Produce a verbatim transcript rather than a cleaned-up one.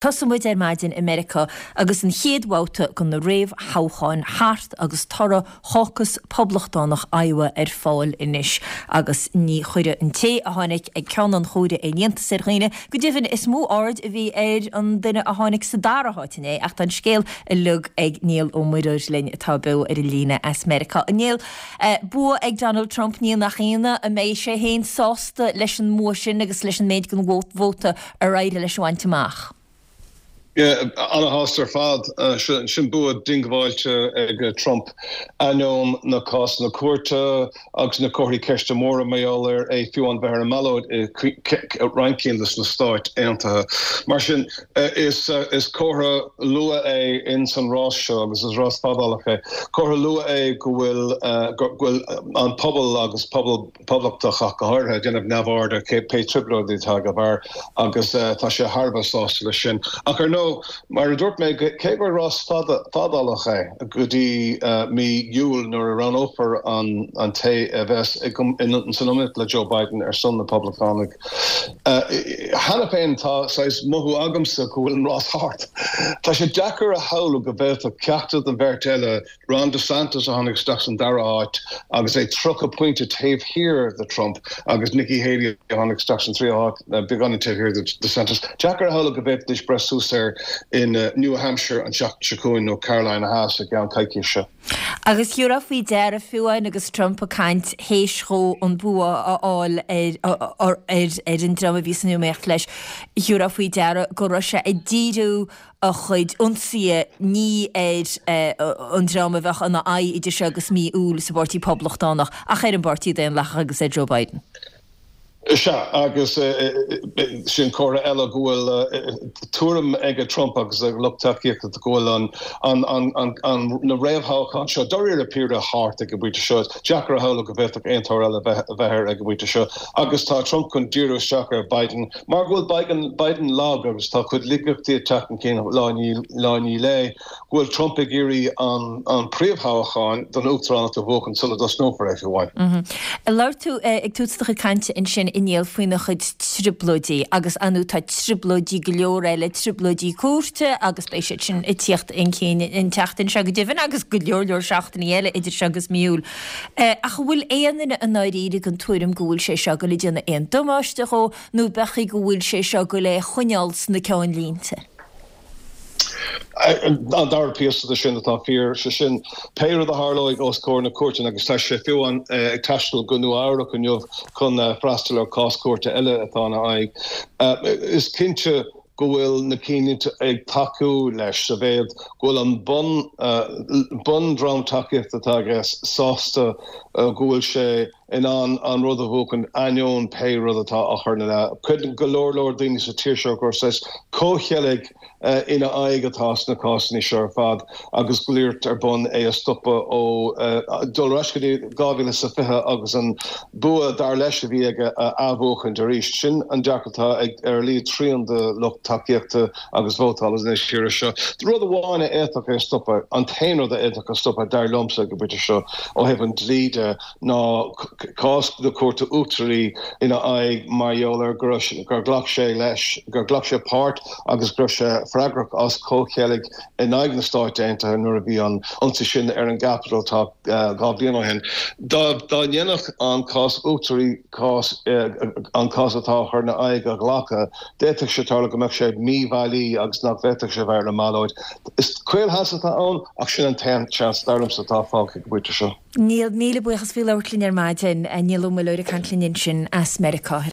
Tosaíonn muid ar maidin i Meiriceá agus an chéad bhabhta de na réamhthoghcháin thart agus toradh Chaucus Poblachtánach Iowa ar fáil anois agus ní chuirfidh an té a tháinig ag ceann an chomhairimh aon iontas ar dhaoine. Go deimhin is mó aird a bhí ar an duine a tháinig sa dara háit inné ach tá an scéal uilig ag Niall Ó Muireoir linn atá beo ar an líne as Meiriceá. A Néill, bua ag Donald Trump ní nach ionadh an mbeidh sé féin sásta leis an mbua sin agus leis an méid den vóta ar éirigh leis a bhaint amach. Ana-shásta ar fad sin bua diongbháilte ag Trump ainneoin na cásanna cúirte agus na comharthaí ceiste móra mar gheall ar é fiú an bheith ar an mballóid i roinnt cinn de na Stáit Aontaithe. Mar sin is is comhartha luath é in san rás seo agus is rás fadálach é. Comhartha luath é go bhfuil go bhfuil an pobal agus pobal poblachtach ach go háirithe ag déanamh neamhaird ar pé trioblóidí atá ag a bharr agus tá sé thar a bheith sásta leis sin. Ach ar ndóigh, mar a dúirt mé, cé gur rás fadálach é go dtí mí Iúil nuair a roghnófar an té a bheas san iomaíocht le Joe Biden ar son na Poblachtánaigh, cheana féin tá saghas mothú agamsa go bhfuil an rás thart. Tá sé deacair a shamhlú go bhféadfadh ceachtar den bheirt eile Ron DeSantis a tháinig isteach san dara háit agus é tríocha pointe taobh thiar de Trump agus Nikki Haley a tháinig isteach san tríú háit beagáinín taobh thiar de DeSantis. Deacair a shamhlú go bhféadfaidís breith suas air in New Hampshire an tseachtain seo chugainn nó Carolina Theas i gceann coicíse. Agus thiúrfá faoi deara fiú amháin agus Trump ag caint théis dhó an bua a fháil ar ar an dream a bhí san iomaíocht leis, thiúrfá faoi deara go raibh sé ag díriú a chuid ionsaithe ní ar an dream a bheadh ina aghaidh idir seo agus mí Iúil sa bPáirtí Poblachtánach ach ar an bPáirtí Daonlathach agus ar Joe Biden. Sea, agus sin comhartha eile go bhfuil tuairim ag Trump agus a lucht tacaíochta go bhfuil an na réamhthoghcháin seo dáiríre píre thart ag an bpointe seo. Deacair a shamhlú go bhféadfadh aon toradh eile a bheith air ag an bpointe seo agus tá Trump chun díriú isteach ar Biden Mar go bhfuil Biden lag agus tá a chuid laigeachtaí ag teacht chun cinn lá i ndiaidh lae, go bhfuil Trump ag iarraidh an príomhthoghchán don uachtaránacht a bhuachan sula dtosnófar é fiú amháin. Labhair tú ag tús do chuid cainte ansin a Néill faoina chuid trioblóidí agus ar ndóigh tá trioblóidí go leor eile, trioblóidí cúirte agus beidh siad sin ag tíocht chun cinn an tseachtain seo go deimhin agus go leor leor seachtainí eile idir seo agus mí Iúil. Ach an bhfuil aon duine i ndáiríre den tuairim go bhfuil sé seo ag goil ag déanamh aon damáiste dhó nó b'fhéidir go bhfuil sé seo ag goil é a choinneáil sna ceannlínte? An dara píosa de sin atá fíor, sé sin, pé rud a tharlóidh os comhair na cúirte, agus tá sé fiú amháin ag taisteal go Nua Eabhrac inniu chun freastal ar chás cúirte eile atá ina aghaidh, is cinnte go bhfuil na cinnlínte ag tacú leis sa mhéad go bhfuil an bun bundream tacaíochta atá aige sásta go bhfuil sé in ann an rud a bhuachan ainneoin pé rud atá á chur ina leith. Creideann go leor leor daoine sa tír seo gur saghas comhcheilg ina aghaidh atá sna cásanna seo ar fad agus go bhfuil iarracht ar bun é a stopadh ó dul ar ais go dtí dhá mhíle is a fiche agus an bua dar leis a bhí aige a athbhuachaint arís. Sin an dearcadh atá ag ar a laghad trian de lucht tacaíochta agus vótála na tíre seo. Rud amháin a fhéadfadh é a stopadh, an t-aon rud a fhéadfadh a stopadh dar liomsa ag an bpointe seo ó thaobh an dlí de, ná cás na Cúirte Uachtaraí ina aghaidh mar gheall ar gur ghlac sé leis, gur ghlac sé páirt agus go raibh sé freagrach as comhcheilg in aghaidh na Stáit Aontaithe nuair a bhí an ionsaí sin ar an gCapitol dhá bhliain ó shin. Dá ndéanfadh an cás uachtaraí cás an cás atá á chur ina aghaidh a ghlacadh, d'fhéadfadh sé tarlú go mbeadh sé míbhailí agus nach bhféadfadh sé bheith ar an mballóid. Is caolsheans atá ann ach sin an t-aon seans, dar liomsa, atá fágtha ag an bpointe seo. Niall, míle buíochas faoi labhairt linn ar maidin. Niall Ó Muilleoir ag caint linn ansin as Meiriceá.